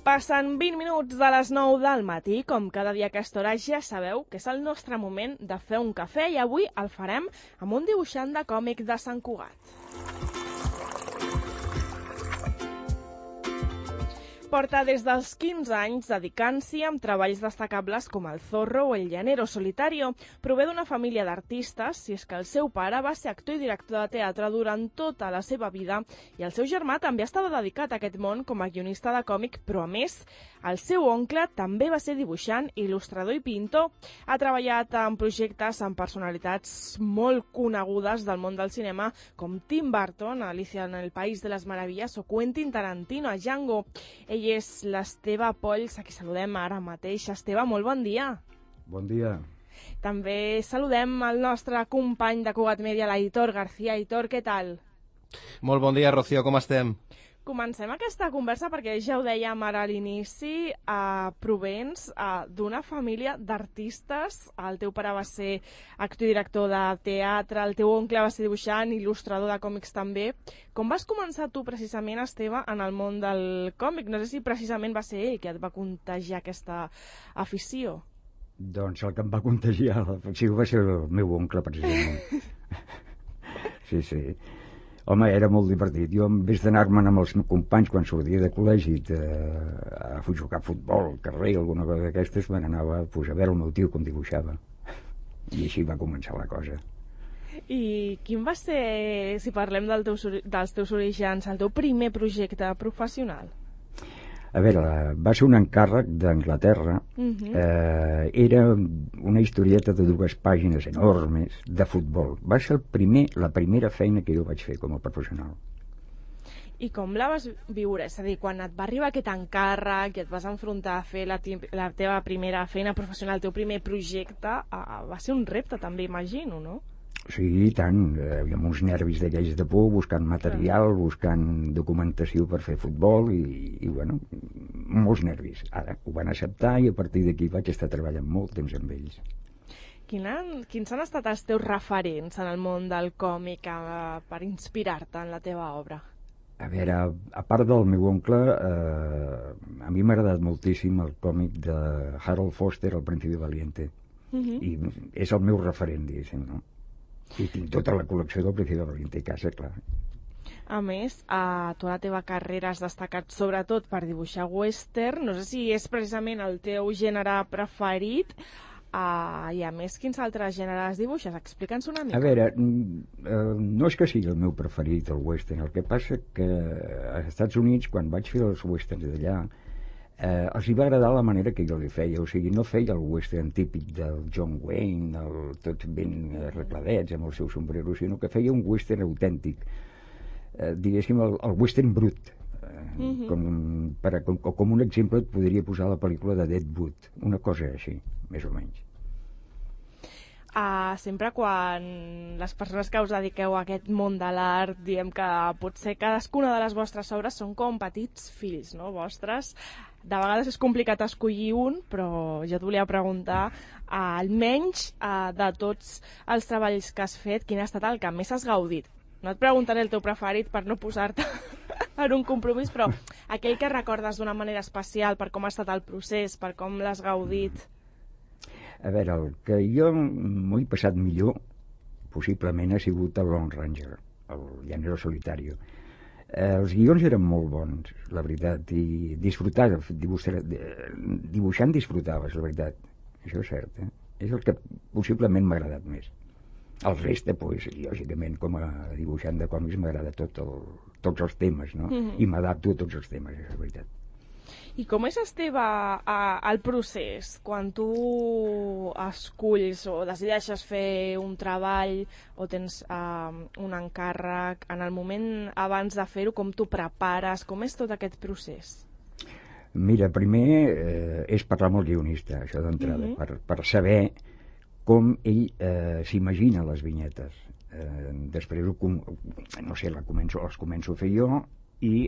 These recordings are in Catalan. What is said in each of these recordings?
Passen 20 minuts de les 9 del matí, com cada dia a aquesta hora ja sabeu que és el nostre moment de fer un cafè i avui el farem amb un dibuixant de còmic de Sant Cugat. Porta des dels 15 anys dedicant-s'hi amb treballs destacables com el Zorro o el Llanero Solitario. Prové d'una família d'artistes, si és que el seu pare va ser actor i director de teatre durant tota la seva vida i el seu germà també estava dedicat a aquest món com a guionista de còmic, però a més, el seu oncle també va ser dibuixant, il·lustrador i pintor. Ha treballat en projectes amb personalitats molt conegudes del món del cinema com Tim Burton, Alicia en el País de les Meravilles o Quentin Tarantino a Django. Ell és l'Esteve Polls, a qui saludem ara mateix. Esteve, molt bon dia. Bon dia. També saludem el nostre company de Cugat Media, l'Aitor García. Aitor, què tal? Molt bon dia, Rocío, com estem? Comencem aquesta conversa perquè ja ho dèiem ara a l'inici, provens d'una família d'artistes. El teu pare va ser actor i director de teatre, el teu oncle va ser dibuixant, il·lustrador de còmics també. Com vas començar tu precisament, Esteve, en el món del còmic? No sé si precisament va ser ell que et va contagiar aquesta afició. Doncs el que em va contagiar l'afició va ser el meu oncle, precisament. Sí. Home, era molt divertit. Jo, en vez d'anar-me'n amb els meus companys quan sortia de col·legi a jugar a futbol, al carrer, alguna cosa d'aquestes, me n'anava a veure el meu tio com dibuixava. I així va començar la cosa. I quin va ser, si parlem dels teus orígens, el teu primer projecte professional? A veure, va ser un encàrrec d'Anglaterra. Era una historieta de 2 pàgines enormes de futbol. Va ser la primera feina que jo vaig fer com a professional. I com la vas viure? És a dir, quan et va arribar aquest encàrrec i et vas enfrontar a fer la teva primera feina professional, el teu primer projecte, va ser un repte també, imagino, no? Sí, i tant. Hi havia uns nervis d'aquells de por, buscant material, buscant documentació per fer futbol i bueno, molts nervis. Ara ho van acceptar i a partir d'aquí vaig estar treballant molt temps amb ells. Quins han estat els teus referents en el món del còmic per inspirar-te en la teva obra? A veure, a part del meu oncle, a mi m'ha agradat moltíssim el còmic de Harold Foster, El Príncipe Valiente. I és el meu referent, diguéssim, no? I tinc tota la col·lecció del Príncipe Valiente a casa, clar. A més, a tota la teva carrera has destacat sobretot per dibuixar western. No sé si és precisament el teu gènere preferit. I a més, quins altres gèneres dibuixes? Explica'ns una mica. A veure, no és que sigui el meu preferit, el western. El que passa que als Estats Units, quan vaig fer els westerns d'allà, els hi va agradar la manera que jo li feia. O sigui, no feia el western típic del John Wayne, tots ben arregladets amb el seu sombrero, sinó que feia un western autèntic, diguéssim el western brut. Com un exemple et podria posar la pel·lícula de Deadwood, una cosa així, més o menys. Sempre quan les persones que us dediqueu a aquest món de l'art diem que potser cadascuna de les vostres obres són com petits fills, no, vostres. De vegades és complicat escollir un, però jo et volia preguntar, almenys de tots els treballs que has fet, quin ha estat el que més has gaudit? No et preguntaré el teu preferit per no posar-te en un compromís, però aquell que recordes d'una manera especial per com ha estat el procés, per com l'has gaudit. A veure, el que jo m'ho he passat millor, possiblement, ha sigut el Lone Ranger, el Llanero Solitario. Els guions eren molt bons, la veritat, i dibuixant disfrutaves, la veritat. Això és cert, És el que possiblement m'ha agradat més. El reste, pues, lògicament, com a dibuixant de còmics m'agrada tots els temes, no? I m'adapto a tots els temes, és la veritat. I com és, Esteve, el procés? Quan tu esculls o decideixes fer un treball o tens un encàrrec, en el moment abans de fer-ho, com t'ho prepares? Com és tot aquest procés? Mira, primer és parlar amb el guionista, això d'entrada, per saber com ell s'imagina les vinyetes. Després, no sé, les començo a fer jo i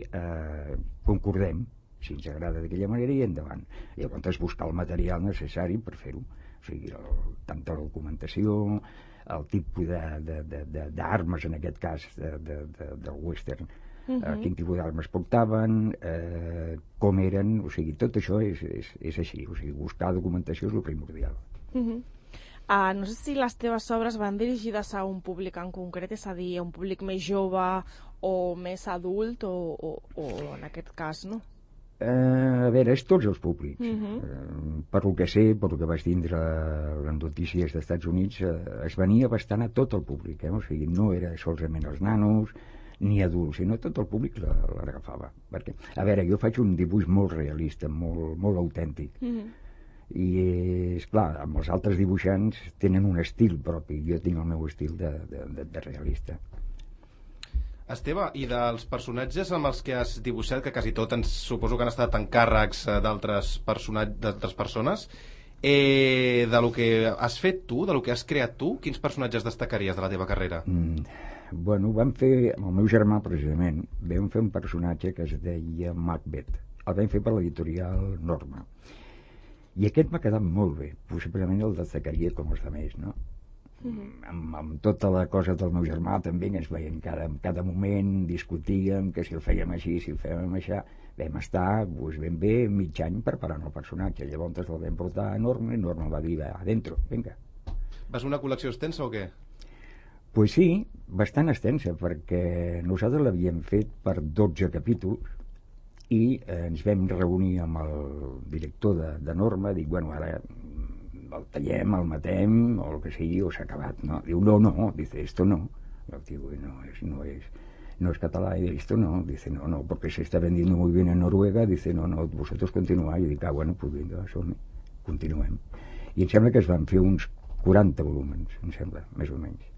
concordem si ens agrada d'aquella manera i endavant. Llavors buscar el material necessari per fer-ho, o sigui, tanta documentació, el tipus d'armes, en aquest cas del western, quin tipus d'armes portaven, com eren, o sigui, tot això és així, o sigui, buscar documentació és el primordial. No sé si les teves obres van dirigides a un públic en concret, és a dir, a un públic més jove o més adult, o en aquest cas, no? A veure, és tots els públics. Per lo que sé, per lo que vaig tindre les notícies dels Estats Units, es venia bastant a tot el públic, o sigui, no era solament els nanos ni adults, sinó tot el públic l'agafava. Perquè, a veure, jo faig un dibuix molt realista, molt autèntic, i és clar, amb els altres dibuixants tenen un estil propi, jo tinc el meu estil de realista. Esteve, i dels personatges amb els que has dibuixat, que quasi tot suposo que han estat encàrrecs d'altres persones, de lo que has fet tu, de lo que has creat tu, quins personatges destacaries de la teva carrera? Bueno, vam fer, amb el meu germà precisament, vam fer un personatge que es deia Macbeth. El vam fer per l'editorial Norma. I aquest m'ha quedat molt bé, possiblement el destacaria com els altres, no? Amb tota la cosa del meu germà també, que ens veiem cada moment, discutíem que si el fèiem així, si el fèiem així. Vam estar ben bé mig any preparant el personatge. Llavors el vam portar a Norma i Norma va dir, adentro, vinga. Vas una col·lecció extensa o què? Pues sí, bastant extensa, perquè nosaltres l'havíem fet per 12 capítols i ens vam reunir amb el director de Norma, dic, bueno, ara el tallem, el matem, o el que sigui, o s'ha acabat, no? Diu, no, dice, esto no. El tío, no es català, y esto no. Dice, no, porque se está vendiendo muy bien en Noruega. Dice, no, vosotros continuáis. I dic, bueno, pues vinga, continuem. I em sembla que es van fer uns 40 volúmens, em sembla, més o menys.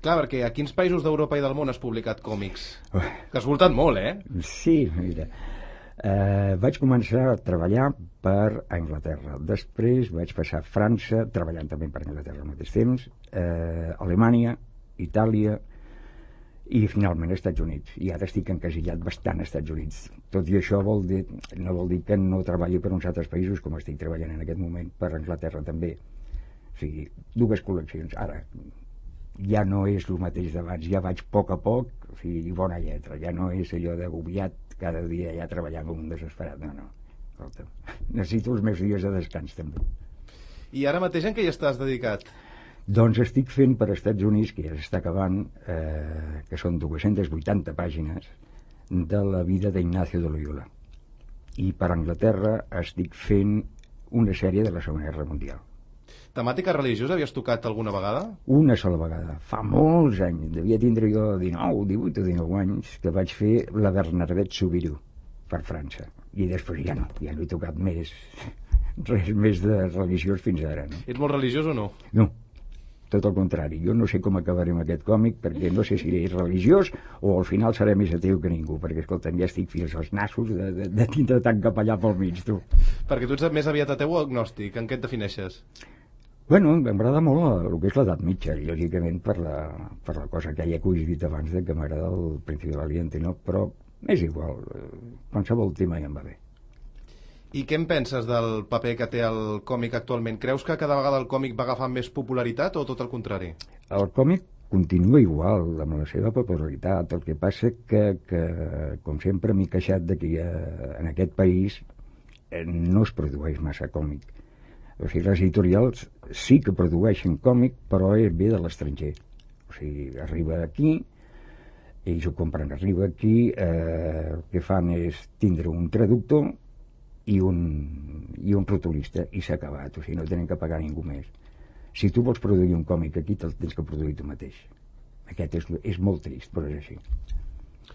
Clar, perquè a quins països d'Europa i del món has publicat còmics? Que has voltat molt, Sí, mira. Vaig començar a treballar per Anglaterra. Després vaig passar a França, treballant també per Anglaterra al mateix temps, Alemanya, Itàlia i finalment als Estats Units. I ara estic encasillat bastant als Estats Units. Tot i això no vol dir que no treballi per uns altres països, com estic treballant en aquest moment per Anglaterra també. O sigui, dues col·leccions. Ara ja no és el mateix d'abans, ja vaig a poc, o sigui, bona lletra, ja no és allò d'agobiat cada dia ja treballant com un desesperat, no. Escolta, necessito els meus dies de descans també. I ara mateix en què hi estàs dedicat? Doncs estic fent per Estats Units, que ja s'està acabant, que són 280 pàgines de la vida d'Ignacio de Loyola. I per Anglaterra estic fent una sèrie de la Segona Guerra Mundial. Temàtica religiosa havies tocat alguna vegada? Una sola vegada, fa molts anys, devia tindre jo 19, 18 o 19 anys, que vaig fer la Bernadette Soubirous per França. I després ja no he tocat res més de religiós fins ara. No? Ets molt religiós o no? No, tot el contrari. Jo no sé com acabarem aquest còmic, perquè no sé si és religiós o al final seré més ateu que ningú, perquè, escolta'm, ja estic fins als nassos de tindre tant capellà pel mig, tu. Perquè tu ets més aviat ateu o agnòstic? En què et defineixes? Bueno, m'agrada molt el que és l'edat mitja, lògicament per la cosa que ja he dit abans de que m'agrada el Príncipe Valiente, no? Però és igual, qualsevol tema ja em va bé. I què en penses del paper que té el còmic actualment? Creus que cada vegada el còmic va agafar més popularitat o tot el contrari? El còmic continua igual, amb la seva popularitat. El que passa que com sempre m'he queixat de que en aquest país no es produeix massa còmic. O sigui, les editorials sí que produeixen còmic, però ve de l'estranger. O sigui, arriba aquí, ells ho compren, arriba aquí, el que fan és tindre un traductor i un rotulista, i s'ha acabat. O sigui, no tenen que pagar ningú més. Si tu vols produir un còmic aquí, te'l tens que produir tu mateix. Aquest és molt trist, però és així.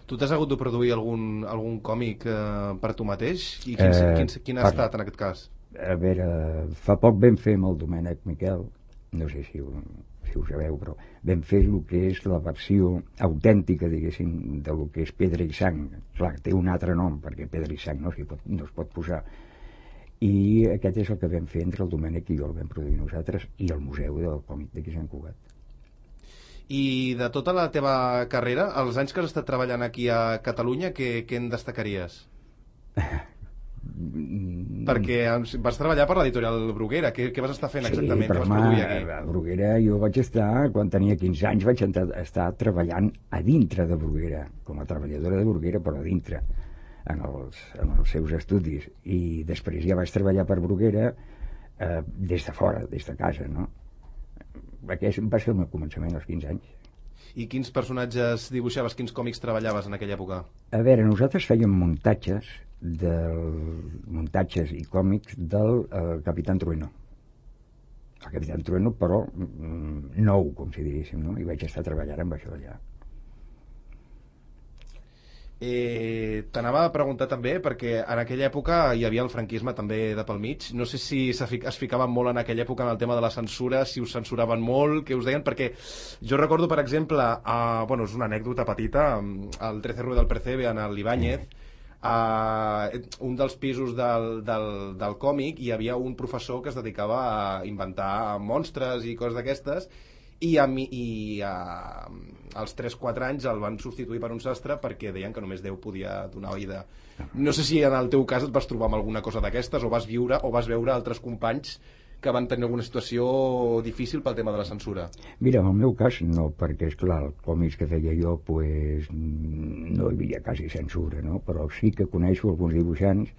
Tu t'has hagut de produir algun còmic per tu mateix? I quin ha estat en aquest cas? A veure, fa poc vam fer amb el Domènec Miquel, no sé si ho sabeu, però vam fer el que és la versió autèntica, diguéssim, del que és Pedra i Sang. Clar, té un altre nom, perquè Pedra i Sang no es pot posar. I aquest és el que vam fer entre el Domènec i jo, el vam produir nosaltres, i el Museu del Còmic d'aquí Sant Cugat. I de tota la teva carrera, els anys que has estat treballant aquí a Catalunya, què en destacaries? perquè vas treballar per l'editorial Bruguera. Què vas estar fent exactament? Sí, però a Bruguera jo vaig estar, quan tenia 15 anys, vaig estar treballant a dintre de Bruguera, com a treballadora de Bruguera, però a dintre, en els seus estudis. I després ja vaig treballar per Bruguera des de fora, des de casa, no? Aquest va ser el meu començament als 15 anys. I quins personatges dibuixaves, quins còmics treballaves en aquella època? A veure, nosaltres fèiem muntatges i còmics del Capitán Trueno. El Capitán Trueno, però nou, com si diguéssim, no? I vaig estar treballant amb això allà. T'anava a preguntar també, perquè en aquella època hi havia el franquisme també de pel mig. No sé si es ficaven molt en aquella època en el tema de la censura, si us censuraven molt, què us deien, perquè jo recordo, per exemple, bueno, és una anècdota petita, al 13 Rue del Percebe, en l'Ibáñez, un dels pisos del còmic hi havia un professor que es dedicava a inventar monstres i coses d'aquestes, i als 3-4 anys el van substituir per un sastre perquè deien que només Déu podia donar vida. No sé si en el teu cas et vas trobar amb alguna cosa d'aquestes, o vas veure altres companys que van tenir alguna situació difícil pel tema de la censura. Mira, en el meu cas no, perquè esclar, els còmics que feia jo pues, no hi havia quasi censura, no? Però sí que coneixo alguns dibuixants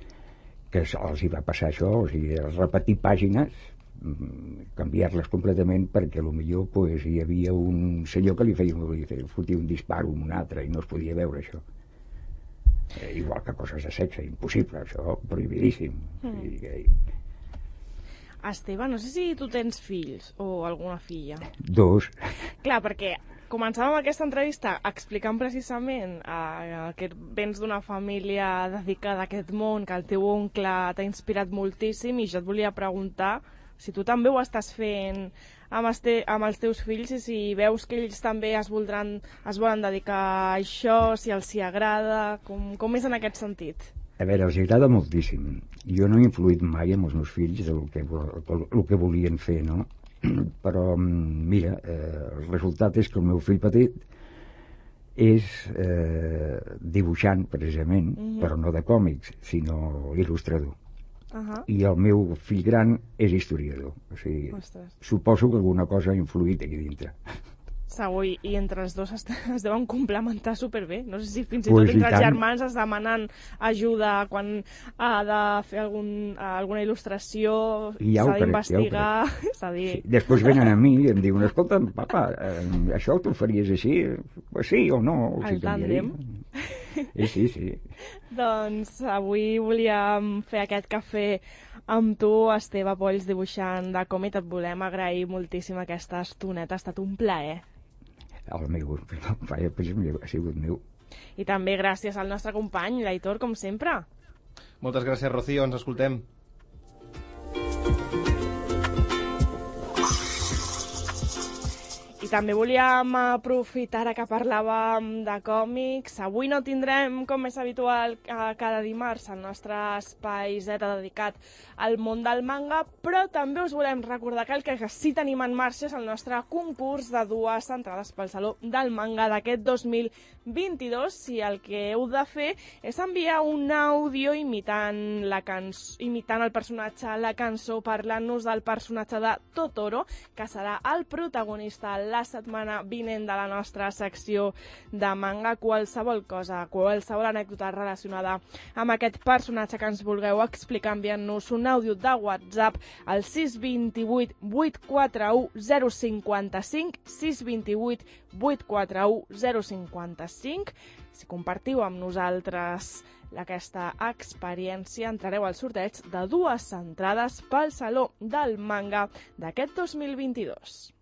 que els hi va passar això, o sigui, repetir pàgines, canviar-les completament, perquè potser pues, hi havia un senyor que li fotia un disparo amb un altre i no es podia veure això. Igual que coses de sexe, impossible, això, prohibidíssim. Esteve, no sé si tu tens fills o alguna filla. 2. Clar, perquè començàvem aquesta entrevista explicant precisament que vens d'una família dedicada a aquest món, que el teu oncle t'ha inspirat moltíssim, i jo et volia preguntar si tu també ho estàs fent amb els teus fills, i si veus que ells també es volen dedicar a això, si els hi agrada, com és en aquest sentit? A veure, els agrada moltíssim. Jo no he influït mai amb els meus fills del que volien fer, no? Però, mira, el resultat és que el meu fill petit és dibuixant, precisament, però no de còmics, sinó il·lustrador. I el meu fill gran és historiador. O sigui, suposo que alguna cosa ha influït aquí dintre. Segur, i entre els dos es deuen complementar superbé. No sé si fins i tot entre els germans es demanen ajuda quan ha de fer alguna il·lustració, s'ha d'investigar, s'ha de dir... Sí. Després venen a mi i em diuen, escolta, papa, això t'ho faries així? Pues sí o no? El tàndem. Sí. Doncs avui volíem fer aquest cafè amb tu, Esteve Polls, dibuixant de còmic. Et volem agrair moltíssim aquesta estoneta, ha estat un plaer. El meu, ha sigut meu. I també gràcies al nostre company, l'Aitor, com sempre. Moltes gràcies, Rocío, ens escoltem. I també volíem aprofitar que parlàvem de còmics. Avui no tindrem, com és habitual, cada dimarts el nostre espai Z dedicat al món del manga, però també us volem recordar que el que sí tenim en marxa és el nostre concurs de 2 entrades pel Saló del Manga d'aquest 2022. Si el que heu de fer és enviar un àudio imitant el personatge, la cançó, parlant-nos del personatge de Totoro, que serà el protagonista la setmana vinent de la nostra secció de manga. Qualsevol cosa, qualsevol anècdota relacionada amb aquest personatge que ens vulgueu explicar, enviant-nos un àudio de WhatsApp al 628 841 055, 628 841 055. Si compartiu amb nosaltres aquesta experiència, entrareu al sorteig de 2 entrades pel Saló del Manga d'aquest 2022.